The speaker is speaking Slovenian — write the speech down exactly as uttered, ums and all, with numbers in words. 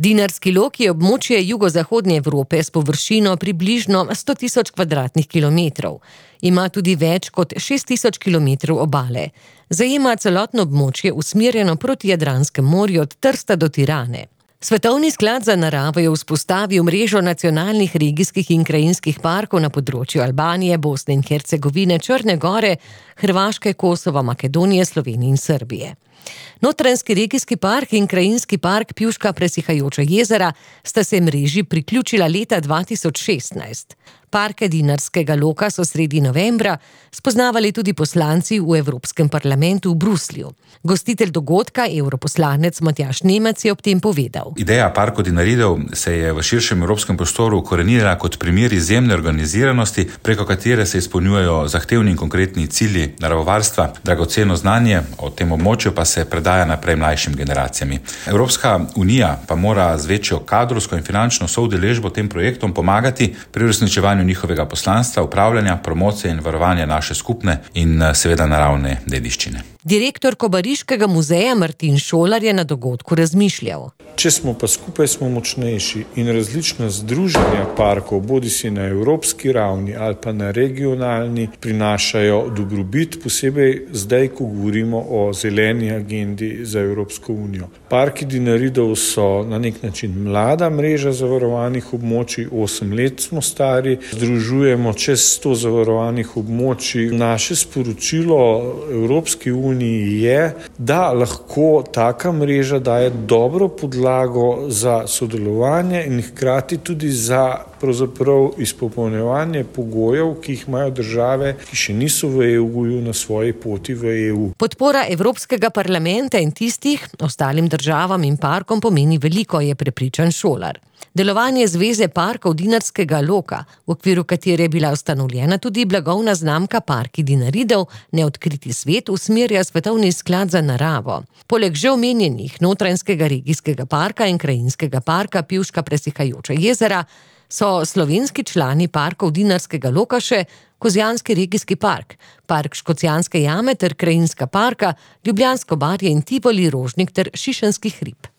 Dinarski lok je območje jugozahodne Evrope s površino približno sto tisoč kvadratnih kilometrov. Ima tudi več kot šest tisoč kilometrov obale. Zajema celotno območje usmerjeno proti Jadranskemu morju od Trsta do Tirane. Svetovni sklad za naravo je vzpostavil mrežo nacionalnih regijskih in krajinskih parkov na področju Albanije, Bosne in Hercegovine, Črne gore, Hrvaške, Kosova, Makedonije, Slovenije in Srbije. Notranjski regijski park in krajinski park Pivška Presihajoča jezera sta se mreži priključila leta dva tisoč šestnajst. Parke Dinarskega loka so sredi novembra spoznavali tudi poslanci v Evropskem parlamentu v Bruslju. Gostitelj dogodka, evroposlanec Matjaž Nemec, je ob tem povedal. Ideja parkov Dinaridov se je v širšem evropskem prostoru ukorenila kot primer izjemne organiziranosti, preko katere se izpolnjujejo zahtevni in konkretni cilji naravovarstva, dragoceno znanje o tem območju pa se predaja naprej mlajšim generacijami. Evropska unija pa mora z večjo kadrovsko in finančno soudeležbo tem projektom pomagati pri uresničevanju njihovega poslanstva, upravljanja, promocije in varovanja naše skupne in seveda naravne dediščine. Direktor Kobariškega muzeja Martin Šolar je na dogodku razmišljal. Če smo pa skupaj, smo močnejši in različna združenja parkov, bodisi na evropski ravni ali pa na regionalni, prinašajo dobrobit, posebej zdaj, ko govorimo o zeleni agendi za Evropsko unijo. Parki Dinaridov so na nek način mlada mreža zavarovanih območij, osem let smo stari, združujemo čez sto zavarovanih območij. Naše sporočilo Evropski uniji je, da lahko taka mreža daje dobro podlago za sodelovanje in hkrati tudi za pravzaprav izpopolnjevanje pogojev, ki jih imajo države, ki še niso v E U-ju na svoji poti v E U. Podpora Evropskega parlamenta in tistih ostalim državam in parkom pomeni veliko, je prepričan Šolar. Delovanje Zveze parkov Dinarskega loka, v okviru katere je bila ustanovljena tudi blagovna znamka Parki Dinaridov, Neodkriti svet, usmerja Svetovni sklad za naravo. Poleg že omenjenih Notranjskega regijskega parka in krajinskega parka Pivška Presihajoča jezera so slovenski člani parkov Dinarskega loka še Kozjanski regijski park, park Škocjanske jame ter krajinska parka Ljubljansko barje in Tivoli, Rožnik ter Šišenski hrib.